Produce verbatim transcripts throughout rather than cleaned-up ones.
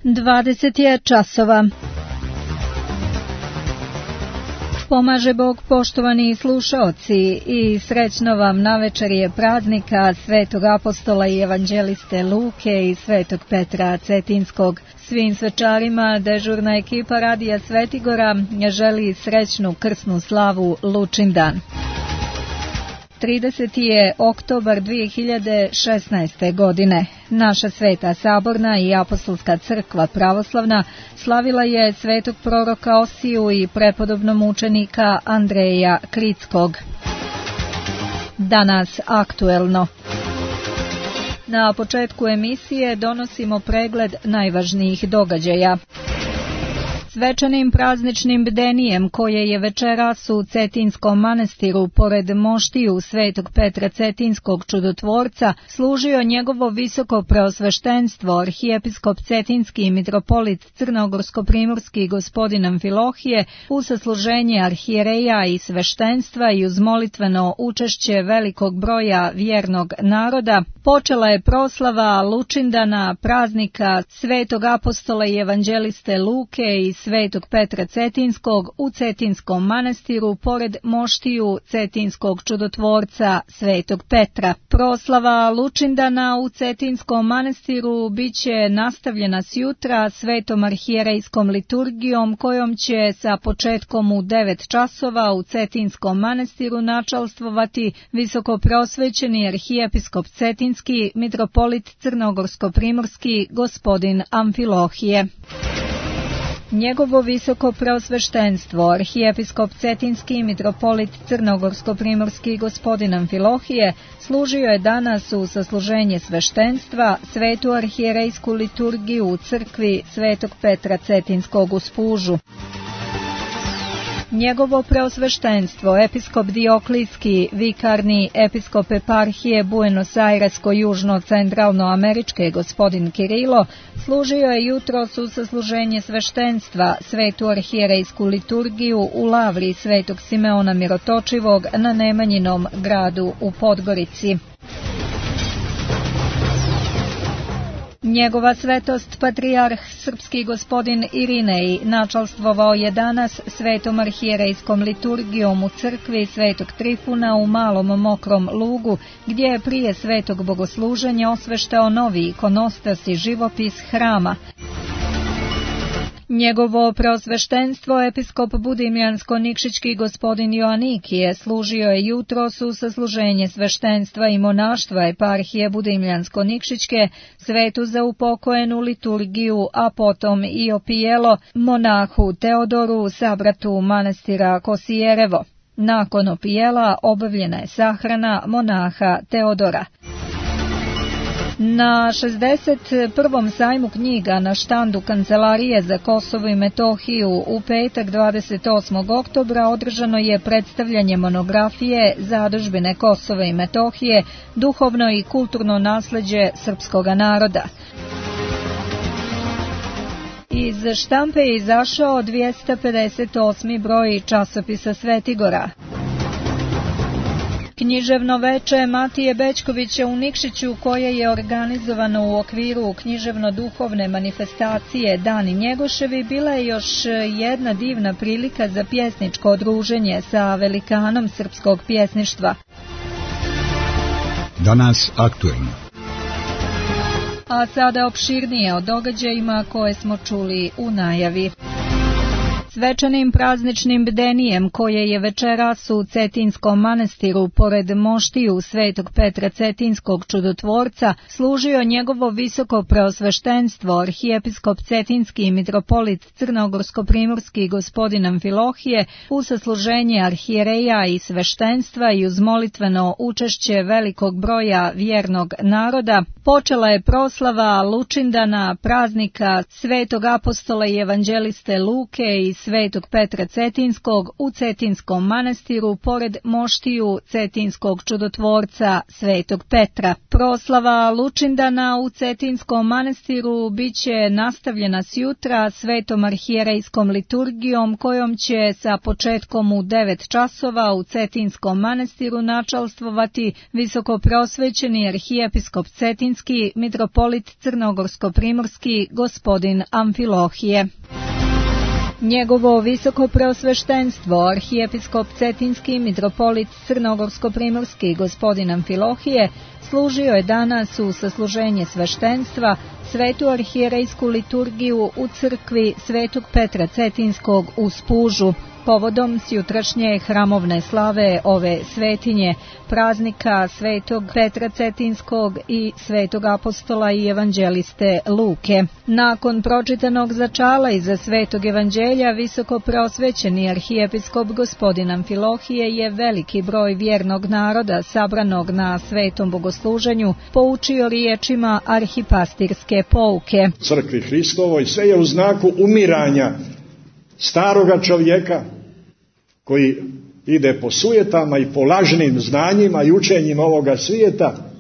dvadeset je časova. Pomaže Bog, poštovani slušaoci, i srećno vam navečer je praznika Svetog apostola i evanđeliste Luke i Svetog Petra Cetinskog. Svim svečarima dežurna ekipa Radija Svetigora želi srećnu krsnu slavu Lučindan. trideseti je oktobar dvije hiljade šesnaeste. godine. Naša Sveta Saborna i Apostolska crkva pravoslavna slavila je svetog proroka Osiju i prepodobnog mučenika Andreja Kritskog. Danas aktuelno. Na početku emisije donosimo pregled najvažnijih događaja. Svečanim prazničnim bdenijem koje je večeras u Cetinskom manastiru pored moštiju Svetog Petra Cetinskog čudotvorca služio njegovo visoko preosveštenstvo arhijepiskop Cetinski i mitropolit Crnogorsko-primorski gospodin Amfilohije u sasluženje arhijereja i sveštenstva i uz molitveno učešće velikog broja vjernog naroda počela je proslava Lučindana, praznika Svetog apostola i evanđeliste Luke i Svetog Petra Cetinskog u Cetinskom manastiru pored moštiju Cetinskog čudotvorca Svetog Petra. Proslava Lučindana u Cetinskom manastiru bit će nastavljena sjutra svetom arhijerejskom liturgijom kojom će sa početkom u devet časova u Cetinskom manastiru načalstvovati visoko prosvećeni arhijepiskop Cetinski, mitropolit Crnogorsko-primorski gospodin Amfilohije. Njegovo visoko preosveštenstvo, arhijepiskop Cetinski i mitropolit Crnogorsko-primorski gospodin Amfilohije služio je danas u sasluženje sveštenstva svetu arhijerejsku liturgiju u crkvi Svetog Petra Cetinskog u Spužu. Njegovo preosveštenstvo, episkop Dioklijski, vikarni episkop eparhije Buenos Aires-južno-centralno-američke gospodin Kirilo, služio je jutros u sasluženje sveštenstva svetu arhijerejsku liturgiju u lavri Svetog Simeona Mirotočivog na Nemanjinom gradu u Podgorici. Njegova svetost patrijarh srpski gospodin Irinej načalstvovao je danas svetom arhijerejskom liturgijom u crkvi Svetog Trifuna u Malom Mokrom Lugu, gdje je prije svetog bogosluženja osveštao novi ikonostas i živopis hrama. Njegovo preosveštenstvo, episkop Budimljansko-Nikšićki gospodin Joanikije, služio je jutros u sasluženje sveštenstva i monaštva eparhije Budimljansko-Nikšićke, svetu za upokojenu liturgiju, a potom i opijelo monahu Teodoru, sabratu manastira Kosijerevo. Nakon opijela obavljena je sahrana monaha Teodora. Na šezdeset prvom sajmu knjiga na štandu Kancelarije za Kosovo i Metohiju u petak dvadeset osmog oktobra održano je predstavljanje monografije Zadužbine Kosova i Metohije, duhovno i kulturno nasleđe srpskoga naroda. Iz štampe je izašao dvjesto pedeset osmi broj časopisa Svetigora. Književno veče Matije Bećkovića u Nikšiću, koje je organizovano u okviru književno-duhovne manifestacije Dani Njegoševi, bila je još jedna divna prilika za pjesničko druženje sa velikanom srpskog pjesništva. Danas aktuelno. A sada opširnije o događajima koje smo čuli u najavi. Svečanim prazničnim bdenijem koje je večeras u Cetinskom manastiru pored moštiju Svetog Petra Cetinskog čudotvorca služio njegovo visoko preosveštenstvo arhijepiskop Cetinski i mitropolit Crnogorsko-primorski gospodin Amfilohije u sasluženje arhijereja i sveštenstva i uz molitveno učešće velikog broja vjernog naroda počela je proslava Lučindana, praznika Svetog apostola i evanđeliste Luke i Svetog Petra Cetinskog u Cetinskom manastiru pored moštiju Cetinskog čudotvorca Svetog Petra. Proslava Lučindana u Cetinskom manastiru biće nastavljena sjutra svetom arhijerejskom liturgijom kojom će sa početkom u devet časova u Cetinskom manastiru načalstvovati visokoprosvećeni arhijepiskop Cetinski, mitropolit Crnogorsko-primorski, gospodin Amfilohije. Njegovo visoko preosveštenstvo, arhijepiskop Cetinski, mitropolit Crnogorsko-primorski, gospodin Amfilohije, služio je danas u sasluženje sveštenstva svetu arhijerejsku liturgiju u crkvi Svetog Petra Cetinskog u Spužu, povodom sjutrašnje hramovne slave ove svetinje, praznika Svetog Petra Cetinskog i Svetog apostola i evanđeliste Luke. Nakon pročitanog začala iza Svetog evanđelja, visoko preosvećeni arhijepiskop gospodin Amfilohije je veliki broj vjernog naroda sabranog na svetom bogosluženju poučio riječima arhipastirske pouke. Crkvi Hristovoj sve je u znaku umiranja staroga čovjeka koji ide po sujetama i po lažnim znanjima i učenjima ovoga svijeta,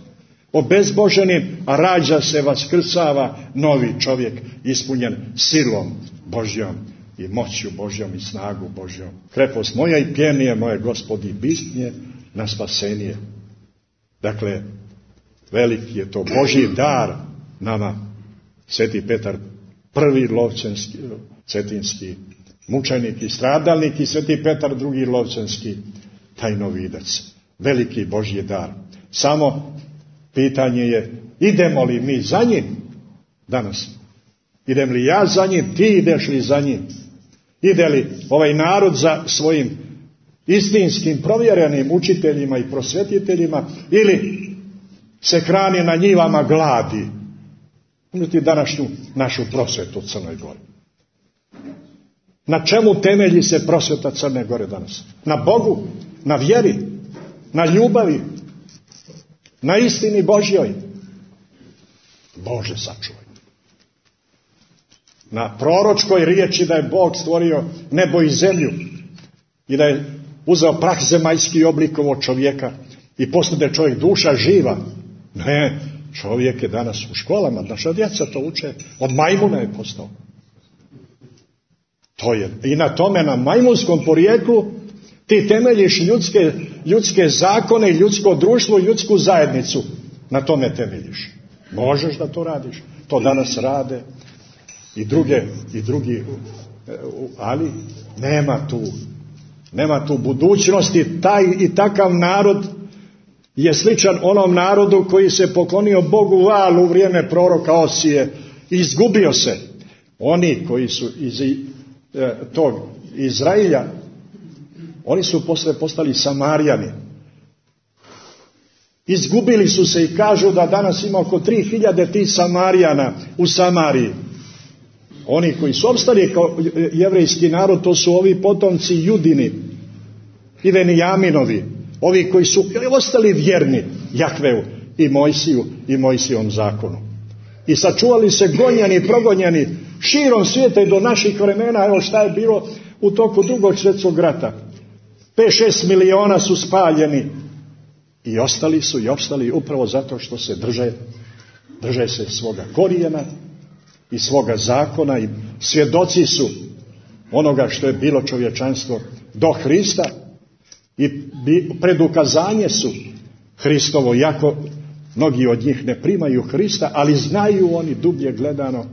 obezboženim, a rađa se, vaskrsava novi čovjek ispunjen silom Božjom i moćju Božjom i snagu Božjom. Krepost moja i pjenije moje, Gospodi, bistnje na spasenije. Dakle, veliki je to Božji dar nama. Sveti Petar, prvi lovčanski, cetinski mučenik i stradalnik, i Sveti Petar, drugi lovčanski tajnovidac. Veliki Božji dar. Samo pitanje je, idemo li mi za njim danas? Idem li ja za njim, ti ideš li za njim? Ide li ovaj narod za svojim istinskim provjerenim učiteljima i prosvjetiteljima, ili se hrani na njivama gladi? Uzmite današnju našu prosvetu u Crnoj Gori. Na čemu temelji se prosveta Crne Gore danas? Na Bogu, na vjeri, na ljubavi, na istini Božjoj. Bože sačuvaj. Na proročkoj riječi da je Bog stvorio nebo i zemlju i da je uzeo prah zemaljski i oblikovo čovjeka i postade čovjek duša živa. Ne, čovjek je danas u školama, naša djeca to uče, od majmuna je postao. To je. I na tome, na majmunskom porijeklu, ti temeljiš ljudske, ljudske zakone, ljudsko društvo, ljudsku zajednicu. Na tome temeljiš. Možeš da to radiš. To danas rade i druge, i drugi, ali nema tu, nema tu budućnosti. Taj i takav narod je sličan onom narodu koji se poklonio Bogu Valu u vrijeme proroka Osije i izgubio se. Oni koji su iz tog Izraelja, oni su posle postali Samarijani. Izgubili su se i kažu da danas ima oko tri hiljade tih Samarijana u Samariji. Oni koji su opstali kao jevrejski narod, to su ovi potomci Judini i Venijaminovi, ovi koji su ostali vjerni Jahveu i Mojsiju i Mojsijevom zakonu. I sačuvali se gonjani, progonjani širom svijeta i do naših vremena. Evo šta je bilo u toku drugog svjetskog rata. pet šest miliona su spaljeni i ostali su i opstali upravo zato što se drže, drže se svoga korijena i svoga zakona i svjedoci su onoga što je bilo čovječanstvo do Hrista i predukazanje su Hristovo, jako mnogi od njih ne primaju Hrista, ali znaju oni dublje gledano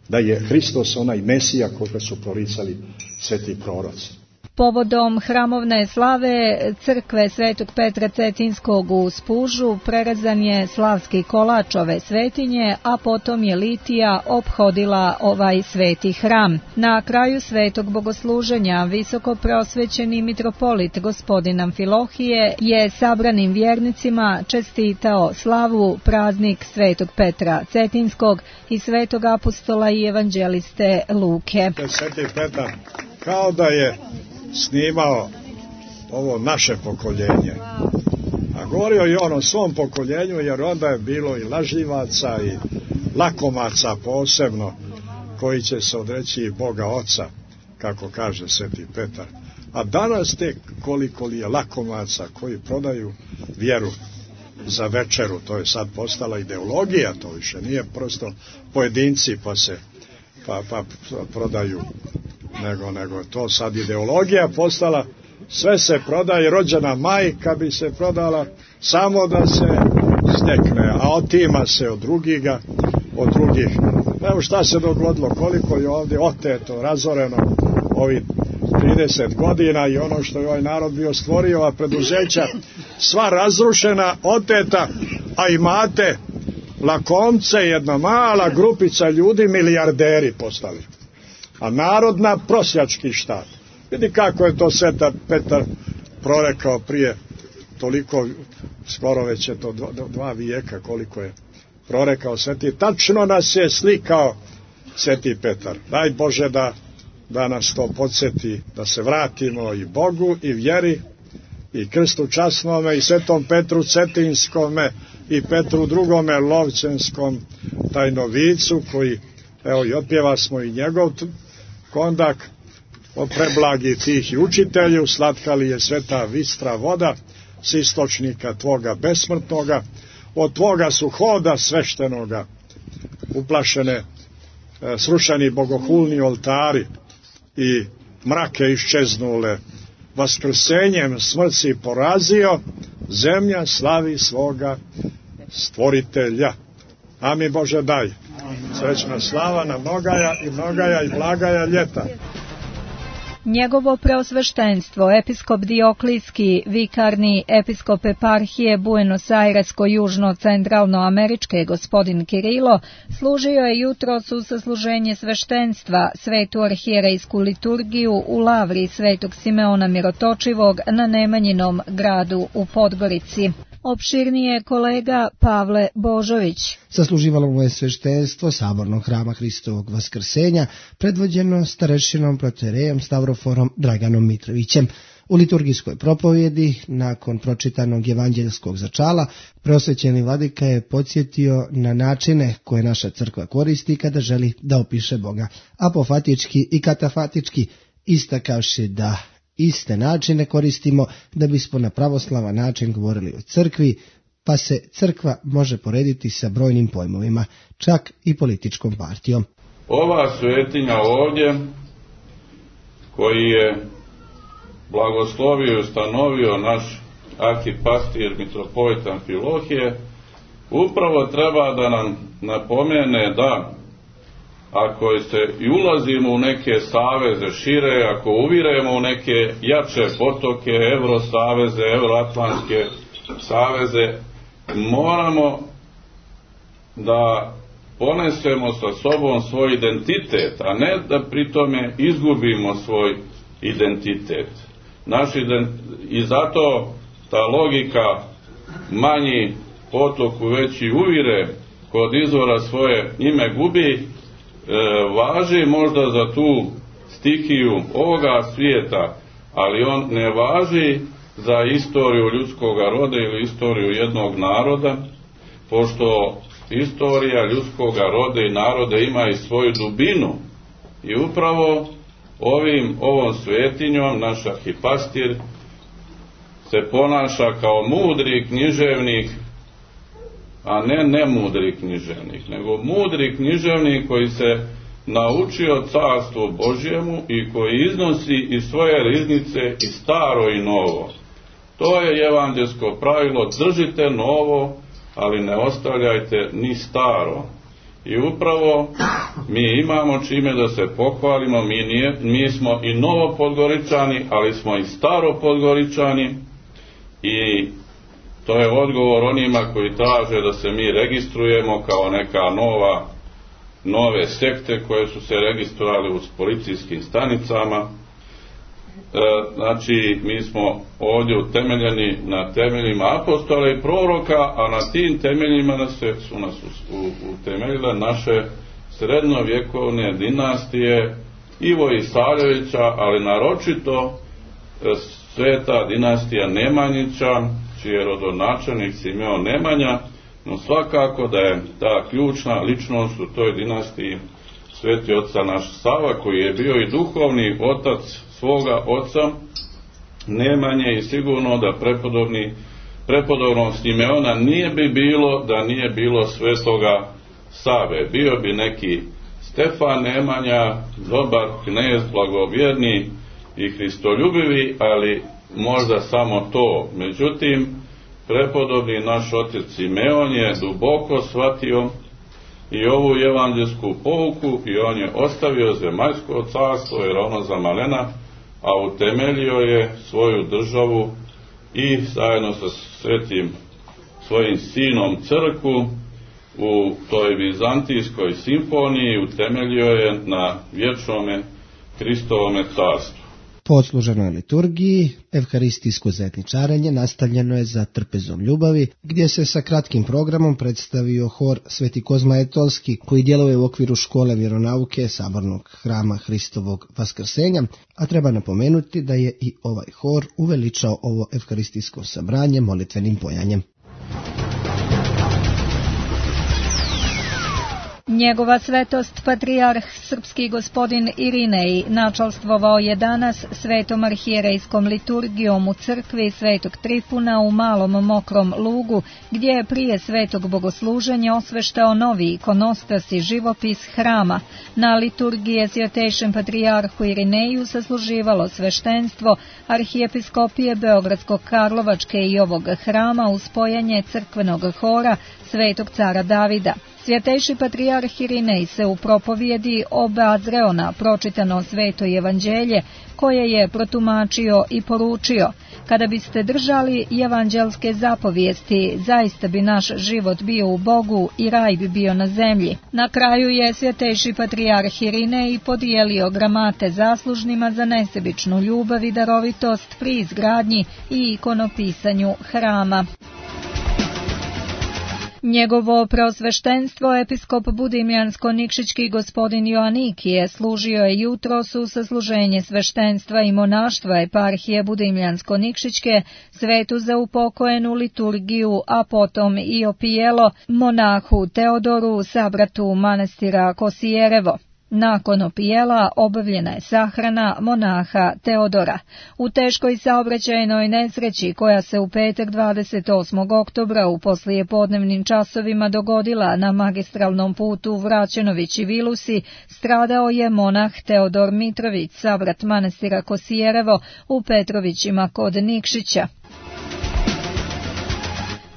da je Hristos onaj Mesija koga su proricali sveti proroci. Povodom hramovne slave crkve Svetog Petra Cetinskog u Spužu prerezan je slavski kolač ove svetinje, a potom je litija ophodila ovaj sveti hram. Na kraju svetog bogosluženja visoko preosvećeni mitropolit gospodin Amfilohije je sabranim vjernicima čestitao slavu praznik Svetog Petra Cetinskog i Svetog apostola i evanđeliste Luke. Sveti Petar kao da je snimao ovo naše pokoljenje. A govorio i on o svom pokoljenju, jer onda je bilo i lažljivaca i lakomaca posebno, koji će se odreći Boga Oca, kako kaže Sveti Petar. A danas tek koliko li je lakomaca koji prodaju vjeru za večeru, to je sad postala ideologija, to više nije prosto pojedinci pa se pa, pa prodaju, nego, nego to sad ideologija postala, sve se prodaje, rođena majka bi se prodala samo da se stekne, a otima se od drugiga, od drugih. Evo šta se dogodilo, koliko je ovdje oteto, razoreno ovih trideset godina i ono što je ovaj narod bio stvorio, a preduzeća sva razrušena, oteta, a imate lakomce, jedna mala grupica ljudi, milijarderi postali. A narod na prosjački štat. Vidi kako je to Sveta Petar prorekao prije toliko, skoro već je to dva, dva vijeka koliko je prorekao Sveti. Tačno nas je slikao Sveti Petar. Daj Bože da, da nas to podsjeti, da se vratimo i Bogu i vjeri i krstu časnome i Svetom Petru Cetinskome i Petru drugome Lovćenskom tajnovicu koji, evo i otpjeva smo i njegov kondak o preblagi tih i učitelju, slatka li je sveta vistra voda s istočnika tvoga besmrtnoga, od tvoga su hoda sveštenoga uplašene, e, srušeni bogohulni oltari i mrake iščeznule, vaskrsenjem smrt si porazio, zemlja slavi svoga stvoritelja. Amin Bože daj. Srećna slava na mnogaja i mnogaja i blagaja ljeta. Njegovo preosveštenstvo, episkop Dioklijski, vikarni episkop eparhije Buenos Aires-južno-centralnoameričke gospodin Kirilo, služio je jutros u sasluženje sveštenstva, svetu arhijerejsku liturgiju u lavri svetog Simeona Mirotočivog na Nemanjinom gradu u Podgorici. Opširnije kolega Pavle Božović. Sasluživalo mu je sveštenstvo Sabornog hrama Hristovog Vaskrsenja, predvođeno starešinom protoijerejem Stavroforom Draganom Mitrovićem. U liturgijskoj propovjedi, nakon pročitanog evanđeljskog začala, preosvećeni vladika je podsjetio na načine koje naša crkva koristi kada želi da opiše Boga, apofatički i katafatički, istakavši da iste načine koristimo da bismo na pravoslavan način govorili o crkvi, pa se crkva može porediti sa brojnim pojmovima, čak i političkom partijom. Ova svetinja ovdje, koji je blagoslovio i ustanovio naš arhipastir mitropolitan Amfilohije, upravo treba da nam napomene da ako se i ulazimo u neke saveze šire, ako uviremo u neke jače potoke, Evrosaveze, Euroatlantske saveze, moramo da ponesemo sa sobom svoj identitet, a ne da pri tome izgubimo svoj identitet. Naš ident... I zato ta logika manji potok u veći uvire kod izvora svoje ime gubi, E, važi možda za tu stihiju ovoga svijeta, ali on ne važi za istoriju ljudskog roda ili istoriju jednog naroda, pošto istorija ljudskog roda i naroda ima i svoju dubinu. I upravo ovim, ovom svetinjom naš arhipastir se ponaša kao mudri književnik, a ne nemudri književnik, nego mudri književnik koji se naučio carstvu Božjemu i koji iznosi iz svoje riznice i staro i novo. To je evanđelsko pravilo, držite novo, ali ne ostavljajte ni staro. I upravo mi imamo čime da se pohvalimo, mi, nije, mi smo i novo Podgoričani, ali smo i staro Podgoričani i to je odgovor onima koji traže da se mi registrujemo kao neka nova, nove sekte koje su se registrovali u policijskim stanicama. E, znači, mi smo ovdje utemeljeni na temeljima apostola i proroka, a na tim temeljima nas se, su nas utemeljile naše srednjovjekovne dinastije Ivo Isarjevića, ali naročito sveta dinastija Nemanjića, čiji je rodonačelnik Simeon Nemanja, no svakako da je ta ključna ličnost u toj dinastiji sveti oca naš Sava, koji je bio i duhovni otac svoga oca Nemanje, i sigurno da prepodobni prepodobnog Simeona nije bi bilo da nije bilo svetoga Save. Bio bi neki Stefan Nemanja, dobar knez, blagovjerni i hristoljubivi, ali možda samo to. Međutim, prepodobni naš otac Simeon je duboko shvatio i ovu evanđelsku pouku i on je ostavio zemaljsko carstvo, jer ono za malena, a utemeljio je svoju državu i zajedno sa svetim svojim sinom crkvu u toj vizantijskoj simfoniji utemeljio je na vječnome Hristovome carstvu. Po odsluženoj liturgiji, evharistijsko zajedničarenje nastavljeno je za trpezom ljubavi, gdje se sa kratkim programom predstavio hor Sveti Kozma Etolski, koji djeluje u okviru škole vjeronauke Sabornog hrama Hristovog Vaskrsenja, a treba napomenuti da je i ovaj hor uveličao ovo evharistijsko sabranje molitvenim pojanjem. Njegova svetost patrijarh srpski gospodin Irinej načalstvovao je danas svetom arhijerejskom liturgijom u crkvi Svetog Trifuna u Malom Mokrom Lugu, gdje je prije svetog bogosluženja osveštao novi ikonostas i živopis hrama. Na liturgije svjetejšem patrijarhu Irineju sasluživalo sveštenstvo arhijepiskopije Beogradsko-Karlovačke i ovog hrama uz spojanje crkvenog hora Svetog cara Davida. Svjetejši patrijarh Irinej se u propovjedi obazreo na pročitano sveto evanđelje, koje je protumačio i poručio: kada biste držali evanđelske zapovijesti, zaista bi naš život bio u Bogu i raj bi bio na zemlji. Na kraju je svjetejši patrijarh Irinej podijelio gramate zaslužnima za nesebičnu ljubav i darovitost pri izgradnji i ikonopisanju hrama. Njegovo preosveštenstvo episkop budimljansko-nikšićki gospodin Joanikije služio je jutros u sasluženje sveštenstva i monaštva eparhije budimljansko-nikšićke, svetu za upokojenu liturgiju, a potom i opijelo monahu Teodoru, sabratu manastira Kosijerevo. Nakon opijela obavljena je sahrana monaha Teodora. U teškoj saobraćajnoj nesreći koja se u petak dvadeset osmog oktobra u poslijepodnevnim časovima dogodila na magistralnom putu Vraćenović-Vilusi, stradao je monah Teodor Mitrović, sabrat manastira Kosijerevo u Petrovićima kod Nikšića.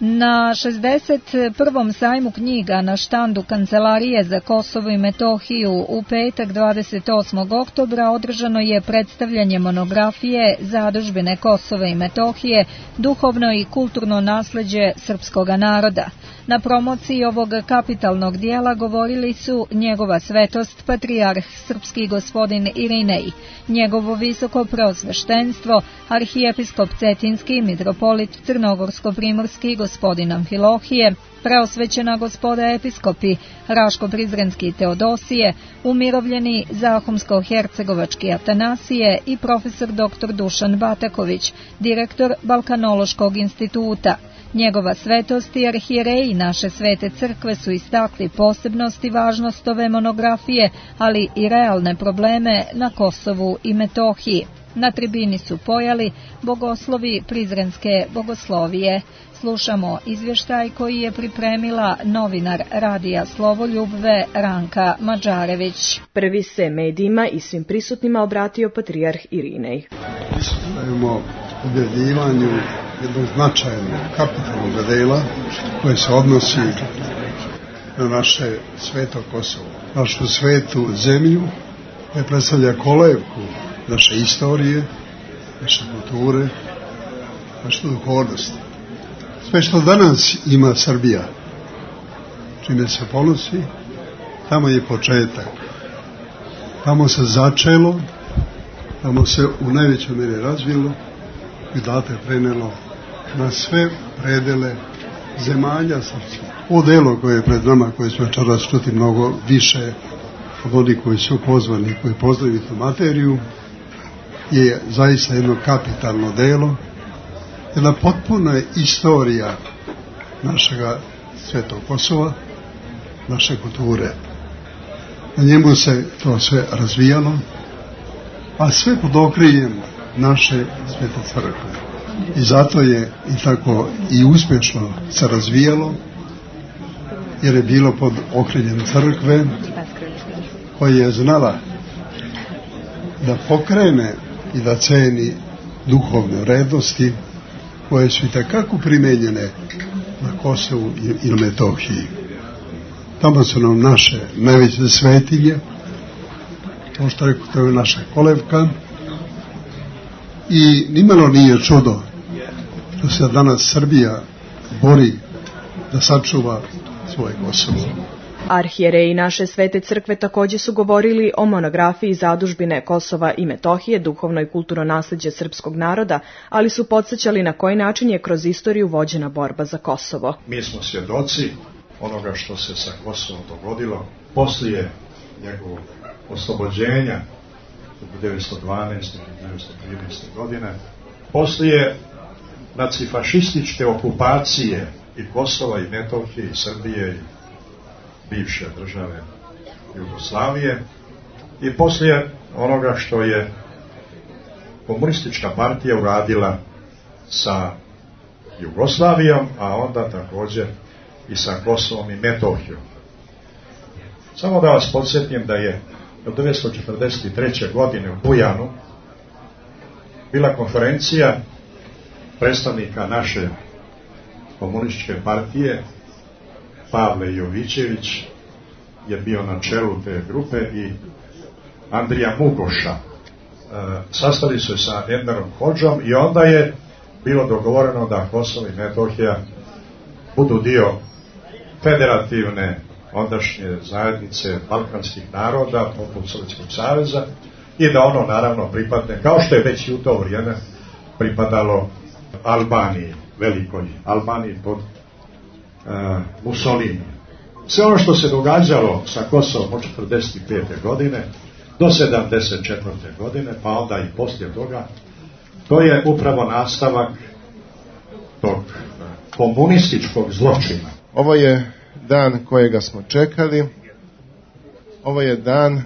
Na šezdeset prvom sajmu knjiga na štandu Kancelarije za Kosovo i Metohiju u petak dvadeset osmog oktobra održano je predstavljanje monografije Zadužbine Kosova i Metohije, duhovno i kulturno nasleđe srpskoga naroda. Na promociji ovog kapitalnog dijela govorili su njegova svetost patrijarh srpski gospodin Irinej, njegovo visoko preosveštenstvo arhijepiskop Cetinski mitropolit Crnogorsko-primorski gospodin Amfilohije, preosvećena gospoda episkopi Raško-Prizrenski Teodosije, umirovljeni Zahumsko-Hercegovački Atanasije i profesor doktor Dušan Bataković, direktor Balkanološkog instituta. Njegova svetost i arhijereji naše svete crkve su istakli posebnost i važnost ove monografije, ali i realne probleme na Kosovu i Metohiji. Na tribini su pojali bogoslovi Prizrenske bogoslovije. Slušamo izvještaj koji je pripremila novinar radija Slovoljubve Ranka Mađarević. Prvi se medijima i svim prisutnima obratio patrijarh Irinej. Pristupujemo objavljivanju jednog značajnog kapitalnog dela koje se odnosi na naše sveto Kosovo, našu svetu zemlju, koja predstavlja kolevku naše istorije, naše kulture, naše duhovnosti. Sve što danas ima Srbija, čime se ponosi, tamo je početak. Tamo se začelo, tamo se u najvećoj mjeri razvilo i date prenelo na sve predele zemalja srpskih. Ovo delo koje je pred nama, koje smo večeras čuti mnogo više od onih koji su pozvani, koji poznaju tu materiju, je zaista jedno kapitalno delo, jedna potpuna istorija našega svetog Kosova, naše kulture. Na njemu se to sve razvijalo, a sve pod okriljem naše Svete crkve. I zato je i tako i uspješno se razvijalo, jer je bilo pod okriljem crkve koja je znala da pokrene i da ceni duhovne vrednosti koje su i takako primenjene na Kosovu i na Metohiji. Tamo su nam naše najveće svetinje, kao što rekao, to je naša kolevka, i nimalo nije čudo što se danas Srbija bori da sačuva svoje Kosovo. Arhijereji naše Svete crkve također su govorili o monografiji Zadužbine Kosova i Metohije, duhovno i kulturno naslijeđe srpskog naroda, ali su podsjećali na koji način je kroz istoriju vođena borba za Kosovo. Mi smo svjedoci onoga što se sa Kosovom dogodilo poslije njegovog oslobođenja devetsto dvanaeste. devetsto trinaeste. godine, poslije nacifašističke okupacije i Kosova i Metohije i Srbije i bivše države Jugoslavije i poslije onoga što je komunistička partija uradila sa Jugoslavijom, a onda također i sa Kosovom i Metohijom. Samo da vas podsjetim da je od devetsto četrdeset treće. godine u Bujanu bila konferencija predstavnika naše komunističke partije. Pavle Jovićević je bio na čelu te grupe i Andrija Mugoša. E, sastali su sa Enverom Hodžom i onda je bilo dogovoreno da Kosovo i Metohija budu dio federativne ondašnje zajednice balkanskih naroda poput Sovjetskog saveza i da ono naravno pripadne, kao što je već i u to vrijeme pripadalo Albaniji, velikoj Albaniji pod uh, Mussolini. Sve ono što se događalo sa Kosovom od četrdeset pete. godine do sedamdeset četvrte. godine, pa onda i poslije toga, to je upravo nastavak tog komunističkog zločina. Ovo je dan kojega smo čekali, ovo je dan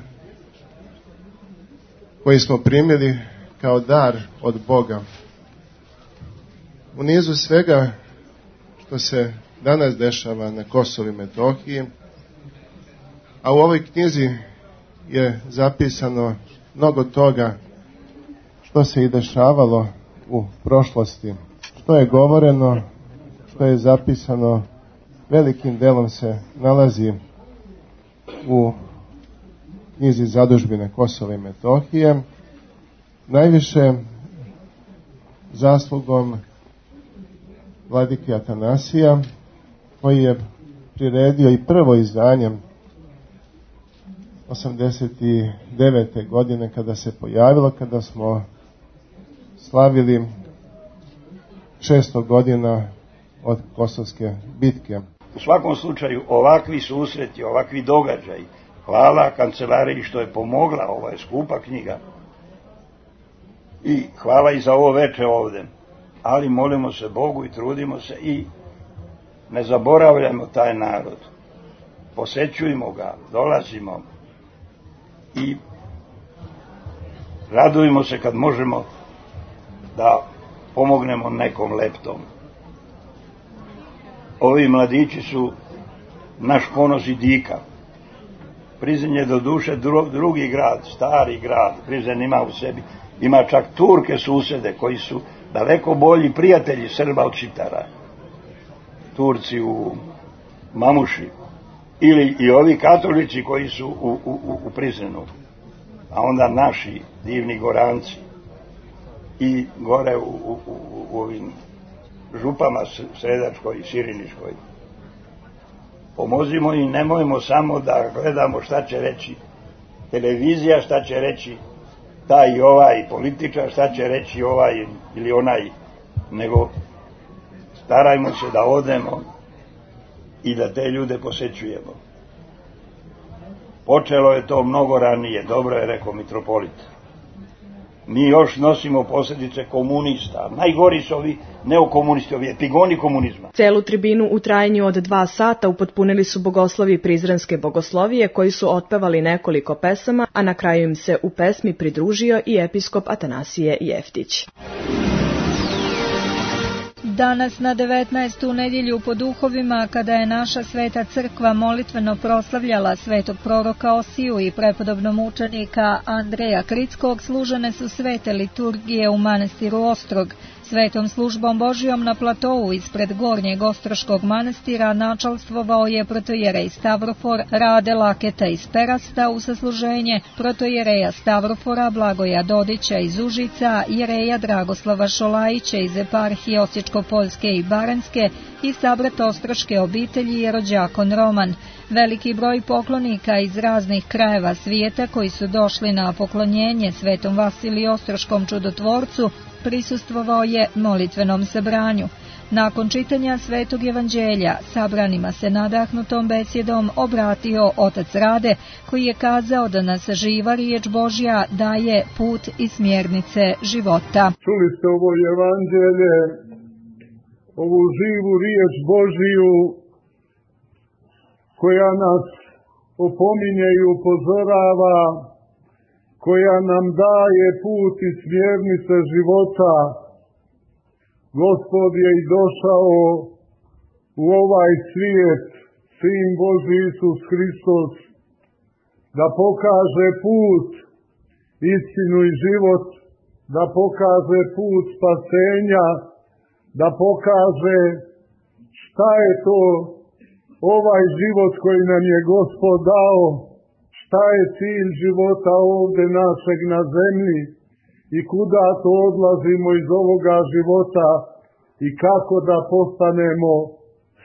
koji smo primili kao dar od Boga. U nizu svega što se danas dešava na Kosovu i Metohiji, a u ovoj knjizi je zapisano mnogo toga što se i dešavalo u prošlosti, što je govoreno, što je zapisano, velikim delom se nalazi u knjizi Zadužbine Kosova i Metohije, najviše zaslugom vladike Atanasija, koji je priredio i prvo izdanje osamdeset devete. godine kada se pojavilo, kada smo slavili šesto godina od Kosovske bitke. U svakom slučaju ovakvi susreti, ovakvi događaji, hvala kancelariji što je pomogla, ovo je skupa knjiga, i hvala i za ovo veče ovde, ali molimo se Bogu i trudimo se i ne zaboravljamo taj narod, posećujemo ga, dolazimo i radujemo se kad možemo da pomognemo nekom leptom. Ovi mladići su naš ponos i dika. Prizren je do duše drugi grad, stari grad. Prizren ima u sebi, ima čak Turke susede koji su daleko bolji prijatelji Srba od Šiptara. Turci u Mamuši ili i ovi katolici koji su u, u, u Prizrenu, a onda naši divni Goranci i gore u, u, u, u ovim župama Sredačkoj i Siriniškoj. Pomozimo i nemojmo samo da gledamo šta će reći televizija, šta će reći taj i ovaj političar, šta će reći ovaj ili onaj, nego starajmo se da odemo i da te ljude posećujemo. Počelo je to mnogo ranije, dobro je rekao mitropolit. mi još nosimo posljedice komunista. Najgori su ovi neokomunisti, ovi epigoni komunizma. Celu tribinu u trajanju od dva sata upotpunili su bogoslovi Prizrenske bogoslovije koji su otpevali nekoliko pesama, a na kraju im se u pesmi pridružio i episkop Atanasije Jeftić. Danas na devetnaestu nedjelju po duhovima, kada je naša sveta crkva molitveno proslavljala svetog proroka Osiju i prepodobnog mučenika Andreja Krickog, služene su svete liturgije u manastiru Ostrog. Svetom službom Božijom na platovu ispred Gornjeg Ostroškog manastira načalstvovao je protojerej Stavrofor Rade Laketa iz Perasta u sasluženje protojereja Stavrofora Blagoja Dodića iz Užica, jereja Dragoslava Šolajića iz eparhije Osječko-Poljske i Baranjske i sabrat ostroške obitelji je rođakon Roman. Veliki broj poklonika iz raznih krajeva svijeta koji su došli na poklonjenje svetom Vasiliju Ostroškom čudotvorcu prisustvovao je molitvenom sabranju. Nakon čitanja svetog evanđelja sabranima se nadahnutom besjedom obratio otac Rade, koji je kazao da nas živa riječ Božja daje put i smjernice života. Čuli ste ovo evanđelje, ovu živu riječ Božiju koja nas opominje i upozorava, koja nam daje put i smjernice života. Gospod je i došao u ovaj svijet, Sin Božji Isus Hristos, da pokaže put, istinu i život, da pokaže put spasenja, da pokaže šta je to ovaj život koji nam je Gospod dao, šta je cilj života ovdje našeg na zemlji i kuda to odlazimo iz ovoga života i kako da postanemo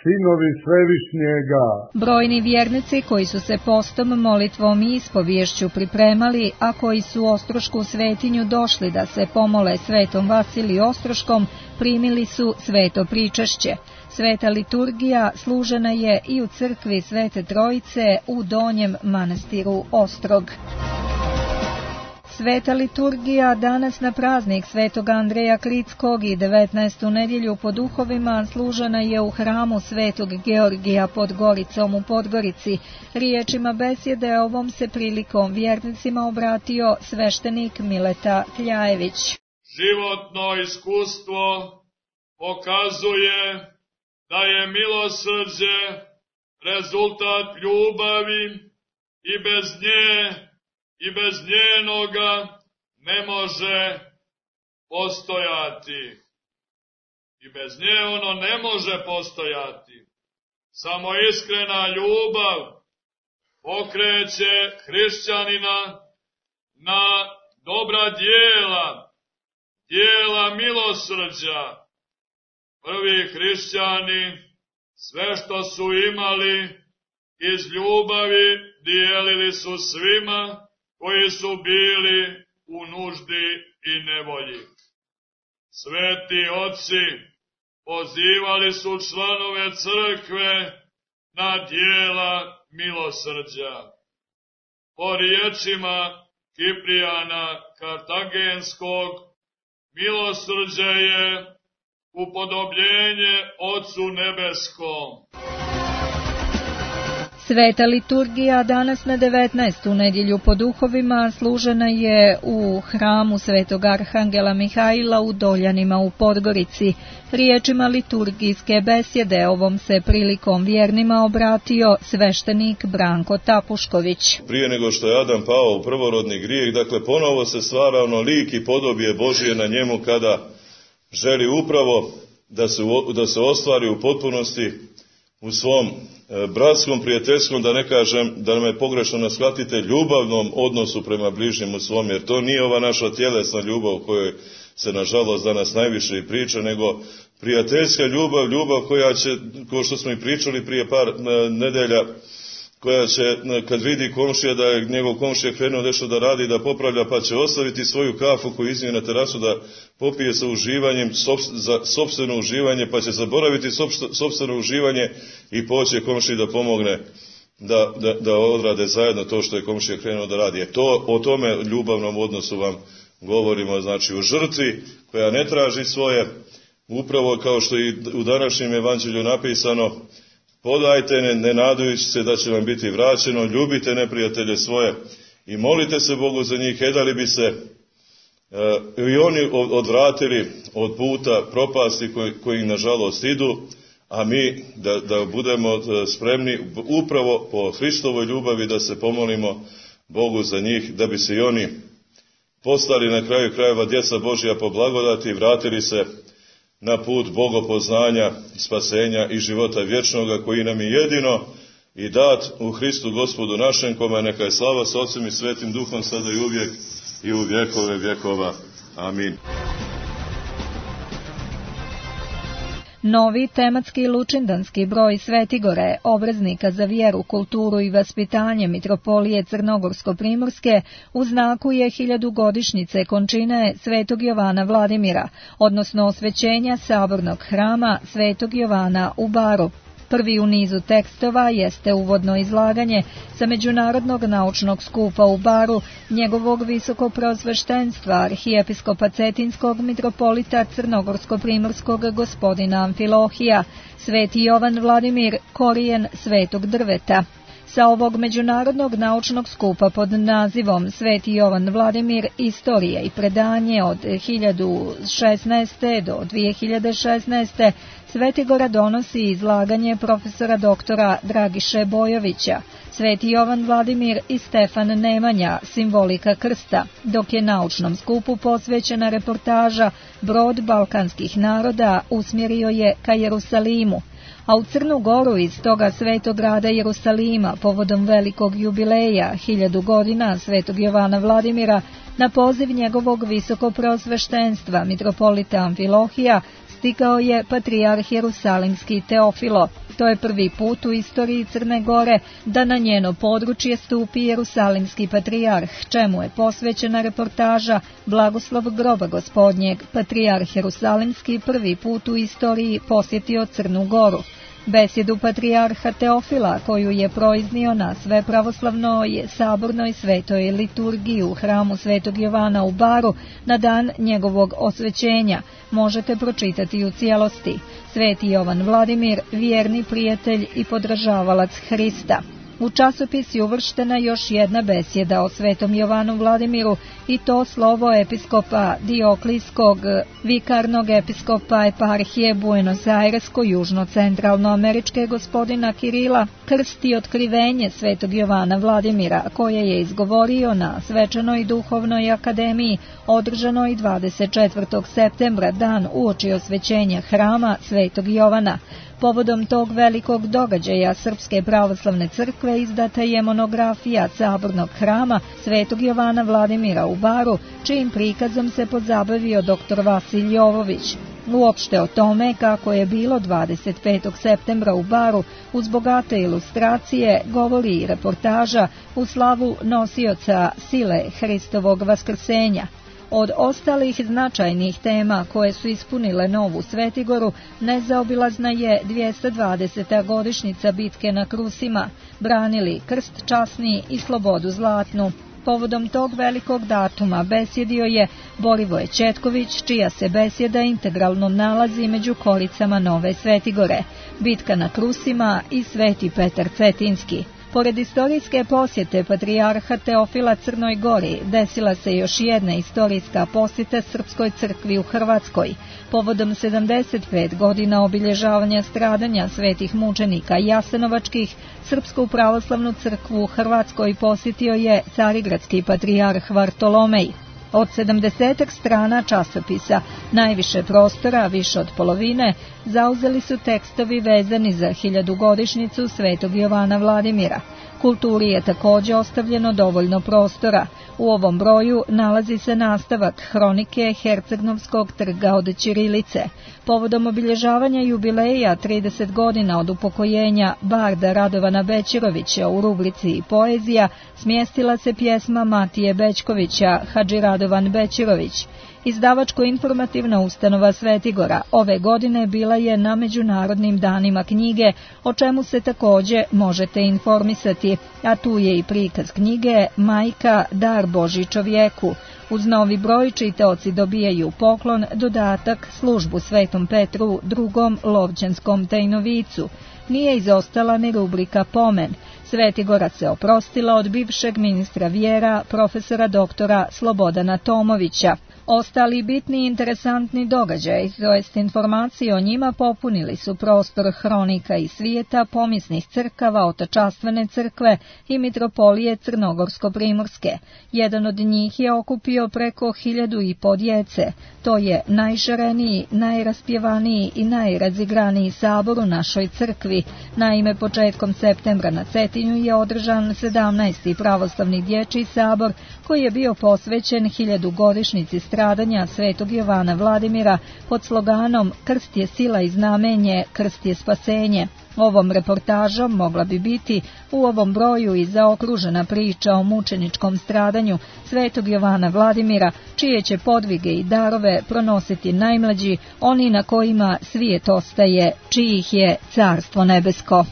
sinovi Svevišnjega. Brojni vjernici koji su se postom, molitvom i ispovješću pripremali, a koji su u Ostrošku svetinju došli da se pomole svetom Vasiliju Ostroškom, primili su sveto pričašće. Sveta liturgija služena je i u crkvi Svete Trojice u Donjem manastiru Ostrog. Sveta liturgija danas na praznik svetog Andreja Krickog i devetnaestu nedjelju po duhovima služena je u hramu svetog Georgija pod Goricom u Podgorici. Riječima besjede ovom se prilikom vjernicima obratio sveštenik Mileta Kljajević. Životno iskustvo pokazuje da je milosrđe rezultat ljubavi i bez nje i bez njenoga ne može postojati. I bez nje ono ne može postojati. Samo iskrena ljubav pokreće hrišćanina na dobra djela, djela milosrđa. Prvi hrišćani sve što su imali iz ljubavi dijelili su svima koji su bili u nuždi i nevolji. Sveti oci pozivali su članove crkve na djela milosrđa. Po riječima Kiprijana Kartagenskog, milosrđe je upodobljenje Otcu nebeskom. Sveta liturgija danas na devetnaestu nedjelju po duhovima služena je u hramu svetog Arhangela Mihajla u Doljanima u Podgorici. Riječima liturgijske besjede ovom se prilikom vjernima obratio sveštenik Branko Tapušković. Prije nego što je Adam pao u prvorodni grijeh, dakle ponovo se stvara ono lik i podobije Božije na njemu kada želi upravo da se, da se ostvari u potpunosti u svom bratskom, prijateljskom, da ne kažem, da me pogrešno ne shvatite, ljubavnom odnosu prema bližnjemu svom, jer to nije ova naša tjelesna ljubav o kojoj se nažalost danas najviše i priča, nego prijateljska ljubav, ljubav koja će, kao što smo i pričali prije par nedelja, koja će, kad vidi komšija da je njegov komšija krenuo nešto da radi, da popravlja, pa će ostaviti svoju kafu koju iznije na terasu da popije sa uživanjem, za sopstveno uživanje, pa će zaboraviti sopstveno uživanje i poće komšiji da pomogne da, da, da odrade zajedno to što je komšija krenuo da radi. E to, o tome ljubavnom odnosu vam govorimo znači o žrtvi koja ne traži svoje, upravo kao što i u današnjem evanđelju napisano, podajte ne, ne nadajući se da će vam biti vraćeno, ljubite neprijatelje svoje i molite se Bogu za njih, e da li bi se e, i oni odvratili od puta propasti koji, koji nažalost idu, a mi da, da budemo spremni upravo po Hristovoj ljubavi da se pomolimo Bogu za njih, da bi se i oni postali na kraju krajeva djeca Božja po blagodati i vratili se na put bogopoznanja, spasenja i života vječnoga koji nam je jedino i dat u Hristu Gospodu našem, kome neka je slava s Otcem i Svetim Duhom sada i uvijek i u vjekove vjekova. Amin. Novi tematski lučindanski broj Svetigore, obraznika za vjeru, kulturu i vaspitanje Mitropolije Crnogorsko-Primorske, u znaku je hiljadugodišnjice končine Svetog Jovana Vladimira, odnosno osvećenja sabornog hrama Svetog Jovana u Baru. Prvi u nizu tekstova jeste uvodno izlaganje sa Međunarodnog naučnog skupa u Baru njegovog visokoprosveštenstva arhijepiskopa Cetinskog mitropolita Crnogorsko-Primorskog gospodina Amfilohija, Sveti Jovan Vladimir, korijen svetog drveta. Sa ovog međunarodnog naučnog skupa pod nazivom Sveti Jovan Vladimir, istorije i predanje od hiljadu šesnaeste do dvije hiljade šesnaeste. Svetigora donosi izlaganje profesora doktora Dragiše Bojovića, Sveti Jovan Vladimir i Stefan Nemanja, simbolika krsta, dok je naučnom skupu posvećena reportaža Brod balkanskih naroda usmjerio je ka Jerusalimu, a u Crnu Goru iz toga svetog grada Jerusalima povodom velikog jubileja, hiljadu godina Svetog Jovana Vladimira, na poziv njegovog visokoprosveštenstva mitropolita Amfilohija, stigao je patrijarh Jerusalimski Teofilo. To je prvi put u istoriji Crne Gore da na njeno područje stupi Jerusalimski patrijarh, čemu je posvećena reportaža Blagoslov groba gospodnjeg. Patrijarh Jerusalimski prvi put u istoriji posjetio Crnu Goru. Besjedu patrijarha Teofila, koju je proiznio na svepravoslavnoj sabornoj svetoj liturgiji u hramu Svetog Jovana u Baru na dan njegovog osvećenja, možete pročitati u cijelosti. Sveti Jovan Vladimir, vjerni prijatelj i podržavalac Hrista. U časopis je uvrštena još jedna besjeda o Svetom Jovanu Vladimiru, i to slovo episkopa Dioklijskog, vikarnog episkopa eparhije Buenos Airesko-južno-centralnoameričke gospodina Kirila, krst i otkrivenje Svetog Jovana Vladimira, koje je izgovorio na Svečanoj duhovnoj akademiji održanoj dvadeset četvrtog septembra, dan uoči osvećenja hrama Svetog Jovana. Povodom tog velikog događaja Srpske pravoslavne crkve izdata je monografija sabornog hrama Svetog Jovana Vladimira u Baru, čijim prikazom se pozabavio doktor Vasilj Jovović. Uopšte o tome kako je bilo dvadeset petog septembra u Baru uz bogate ilustracije govori i reportaža u slavu nosioca sile Hristovog vaskrsenja. Od ostalih značajnih tema koje su ispunile Novu Svetigoru, nezaobilazna je dvjesto dvadeseta godišnjica bitke na Krusima, branili krst časni i slobodu zlatnu. Povodom tog velikog datuma besjedio je Borivoje Četković, čija se besjeda integralno nalazi među koricama Nove Svetigore, bitka na Krusima i Sveti Petar Cetinski. Pored istorijske posjete patrijarha Teofila Crnoj Gori, desila se još jedna istorijska posjeta Srpskoj crkvi u Hrvatskoj. Povodom sedamdeset pet godina obilježavanja stradanja svetih mučenika Jasenovačkih, Srpsku pravoslavnu crkvu u Hrvatskoj posjetio je carigradski patrijarh Vartolomej. Od sedamdesetak strana časopisa, najviše prostora, više od polovine, zauzeli su tekstovi vezani za hiljadugodišnjicu Svetog Jovana Vladimira. Kulturi je također ostavljeno dovoljno prostora. U ovom broju nalazi se nastavak hronike Hercegnovskog trga od ćirilice. Povodom obilježavanja jubileja trideset godina od upokojenja barda Radovana Bećirovića u rubrici Poezija smjestila se pjesma Matije Bećkovića Hadži Radovan Bećirović. Izdavačko-informativna ustanova Svetigora ove godine bila je na Međunarodnim danima knjige, o čemu se također možete informisati, a tu je i prikaz knjige Majka, dar Božji čovjeku, Uz novi broj čitaoci dobijaju poklon, dodatak, službu Svetom Petru drugom Lovćanskom tajnovicu. Nije izostala ni rubrika Pomen. Svetigora se oprostila od bivšeg ministra vjera, profesora doktora Slobodana Tomovića. Ostali bitni i interesantni događaj, to jest informacije o njima, popunili su prostor hronika i svijeta, pomisnih crkava, otačastvene crkve i mitropolije Crnogorsko-Primorske. Jedan od njih je okupio preko hiljadu i po djece. To je najšareniji, najraspjevaniji i najrazigraniji sabor u našoj crkvi. Naime, početkom septembra na Cetinju je održan sedamnaesti pravoslavni dječji sabor, koji je bio posvećen hiljadugodišnjici stradanja Svetog Jovana Vladimira pod sloganom "Krst je sila i znamenje, krst je spasenje". Ovom reportažom mogla bi biti u ovom broju i zaokružena priča o mučeničkom stradanju Svetog Jovana Vladimira, čije će podvige i darove pronositi najmlađi, oni na kojima svijet ostaje, čijih je Carstvo nebesko.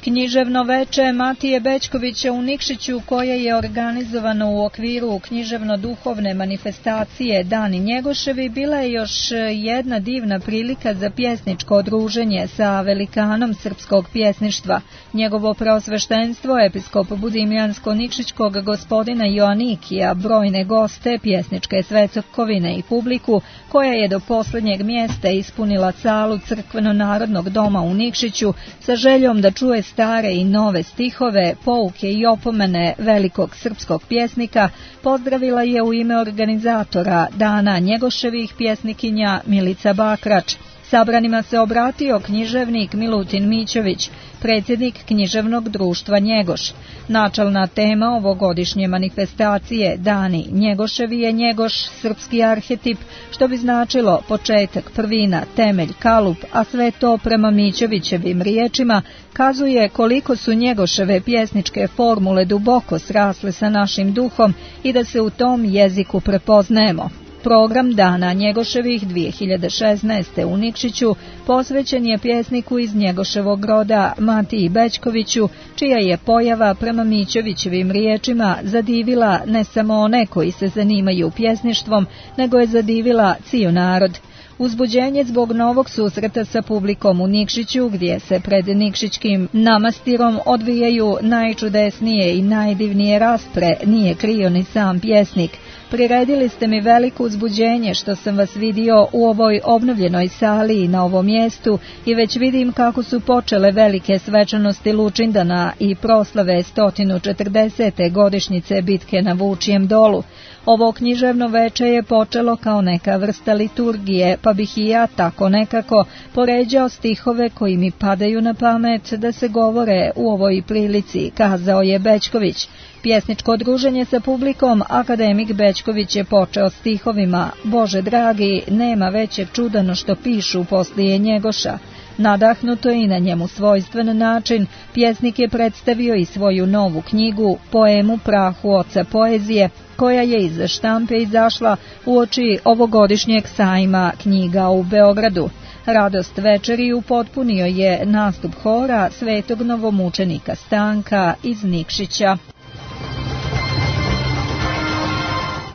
Književno veče Matije Bećkovića u Nikšiću, koje je organizovano u okviru književno-duhovne manifestacije Dani Njegoševi, bila je još jedna divna prilika za pjesničko druženje sa velikanom srpskog pjesništva. Njegovo preosveštenstvo, episkop Budimljansko-Nikšićkog gospodina Joanikija, brojne goste, pjesničke svecokovine i publiku, koja je do posljednjeg mjesta ispunila salu crkveno-narodnog doma u Nikšiću sa željom da čuje stare i nove stihove, pouke i opomene velikog srpskog pjesnika, pozdravila je u ime organizatora Dana Njegoševih pjesnikinja Milica Bakrač. Sabranima se obratio književnik Milutin Mićović, predsjednik književnog društva Njegoš. Načelna tema ovogodišnje manifestacije Dani Njegoševi je Njegoš, srpski arhetip, što bi značilo početak, prvina, temelj, kalup, a sve to prema Mićovićevim riječima kazuje koliko su Njegoševe pjesničke formule duboko srasle sa našim duhom i da se u tom jeziku prepoznajemo. Program Dana Njegoševih dvije hiljade šesnaeste. u Nikšiću posvećen je pjesniku iz Njegoševog roda Matiji Bećkoviću, čija je pojava prema Mićovićevim riječima zadivila ne samo one koji se zanimaju pjesništvom, nego je zadivila cijel narod. Uzbuđenje zbog novog susreta sa publikom u Nikšiću, gdje se pred Nikšićkim namastirom odvijaju najčudesnije i najdivnije raspre, nije krio ni sam pjesnik. Priredili ste mi veliko uzbuđenje što sam vas vidio u ovoj obnovljenoj sali i na ovom mjestu i već vidim kako su počele velike svečanosti Lučindana i proslave sto četrdesete godišnjice bitke na Vučijem dolu. Ovo književno veče je počelo kao neka vrsta liturgije, pa bih i ja tako nekako poređao stihove koji mi padaju na pamet da se govore u ovoj prilici, kazao je Bećković. Pjesničko druženje sa publikom akademik Bećković je počeo stihovima "Bože dragi, nema većeg čuda no što pišu poslije Njegoša". Nadahnuto i na njemu svojstven način, pjesnik je predstavio i svoju novu knjigu, poemu Prahu oca poezije, koja je iz štampe izašla uoči ovogodišnjeg sajma knjiga u Beogradu. Radost večeri upotpunio je nastup hora Svetog novomučenika Stanka iz Nikšića.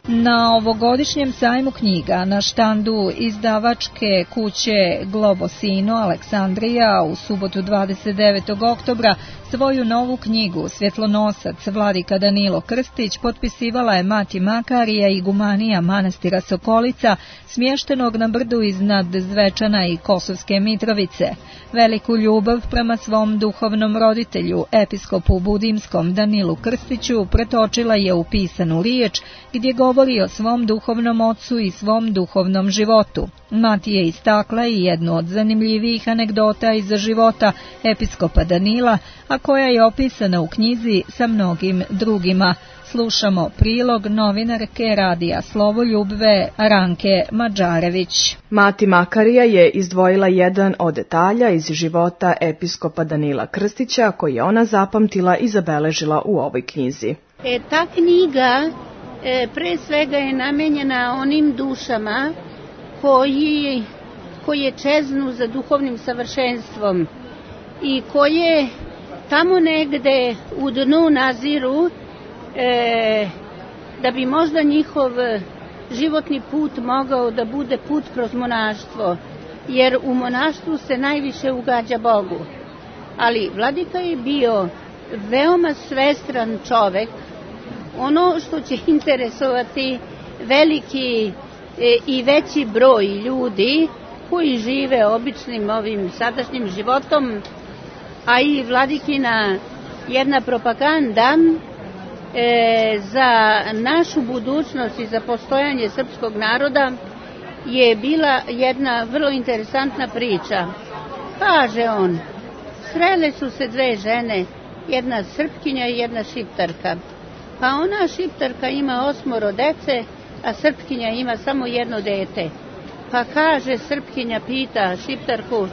Na ovogodišnjem sajmu knjiga na štandu izdavačke kuće Globosino Aleksandrija u subotu dvadeset devetog oktobra svoju novu knjigu Svjetlonosac Vladika Danilo Krstić potpisivala je Mati Makarija i igumanija manastira Sokolica, smještenog na brdu iznad Zvečana i Kosovske Mitrovice. Veliku ljubav prema svom duhovnom roditelju, episkopu Budimskom Danilu Krstiću, pretočila je u pisanu riječ, gdje govori o svom duhovnom ocu i svom duhovnom životu. Mati je istakla i jednu od zanimljivijih anegdota iz života episkopa Danila, a koja je opisana u knjizi sa mnogim drugima. Slušamo prilog novinarke Radija Slovoljubve Ranke Mađarević. Mati Makarija je izdvojila jedan od detalja iz života episkopa Danila Krstića, koji je ona zapamtila i zabeležila u ovoj knjizi. E, ta knjiga e, pre svega je namenjena onim dušama koji, koje čeznu za duhovnim savršenstvom i koje tamo negde u dnu naziru e, da bi možda njihov životni put mogao da bude put kroz monaštvo, jer u monaštvu se najviše ugađa Bogu. Ali vladika je bio veoma svestran čovek. Ono što će interesovati veliki i veći broj ljudi koji žive običnim ovim sadašnjim životom, a i vladikina jedna propaganda e, za našu budućnost i za postojanje srpskog naroda je bila jedna vrlo interesantna priča. Kaže on, srele su se dve žene, jedna Srpkinja i jedna Šiptarka. Pa ona Šiptarka ima osmoro dece, a Srpkinja ima samo jedno dete. Pa kaže Srpkinja, pita Šiptarku,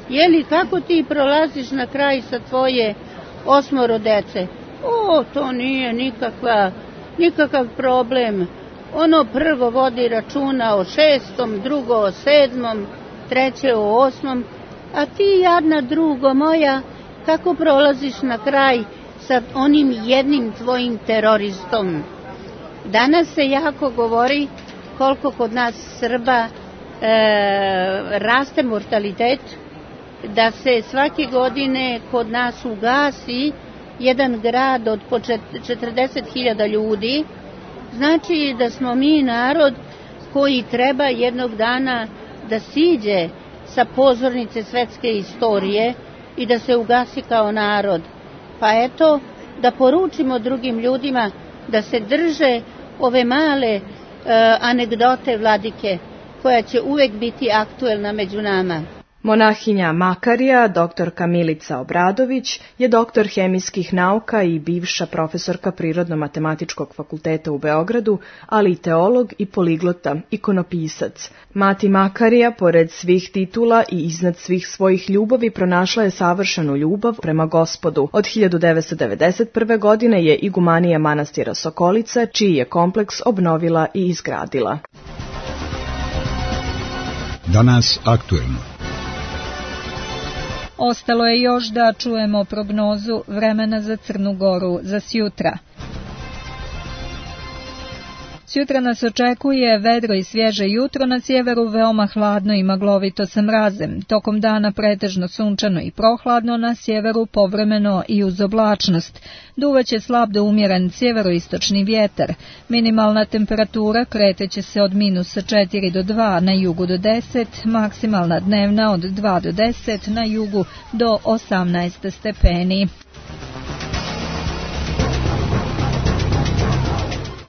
je li kako ti prolaziš na kraj sa tvoje osmoro dece? O, to nije nikakva, nikakav problem. Ono prvo vodi računa o šestom, drugo o sedmom, treće o osmom, a ti jadna drugo moja, kako prolaziš na kraj sa onim jednim tvojim teroristom? Danas se jako govori koliko kod nas Srba e, raste mortalitet, da se svake godine kod nas ugasi jedan grad od po četrdeset hiljada ljudi. Znači da smo mi narod koji treba jednog dana da siđe sa pozornice svetske istorije i da se ugasi kao narod. Pa eto, da poručimo drugim ljudima da se drže ove male e, anegdote vladike, koja će uvek biti aktuelna među nama. Monahinja Makarija, doktorka Milica Obradović, je doktor hemijskih nauka i bivša profesorka Prirodno-matematičkog fakulteta u Beogradu, ali i teolog i poliglota, ikonopisac. Mati Makarija, pored svih titula i iznad svih svojih ljubavi, pronašla je savršenu ljubav prema Gospodu. Od hiljadu devetsto devedeset prve. godine je igumanija manastira Sokolica, čiji je kompleks obnovila i izgradila. Danas aktuelno. Ostalo je još da čujemo prognozu vremena za Crnu Goru za sjutra. Sjutra nas očekuje vedro i svježe jutro, na sjeveru veoma hladno i maglovito sa mrazem. Tokom dana pretežno sunčano i prohladno, na sjeveru povremeno i uz oblačnost. Duvaće slab do umjeren sjeveroistočni vjetar. Minimalna temperatura kreteće se od minusa četiri do dva, na jugu do deset, maksimalna dnevna od dva do deset, na jugu do osamnaest stepeni.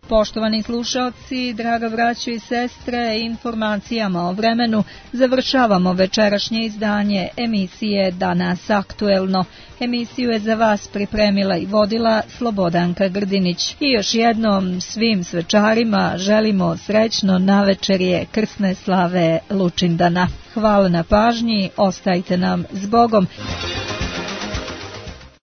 Poštovani slušalci, draga braćo i sestre, informacijama o vremenu završavamo večerašnje izdanje emisije Danas aktuelno. Emisiju je za vas pripremila i vodila Slobodanka Grdinić. I još jednom svim svečarima želimo srećno navečerje krsne slave Lučindana. Hvala na pažnji, ostajte nam s Bogom.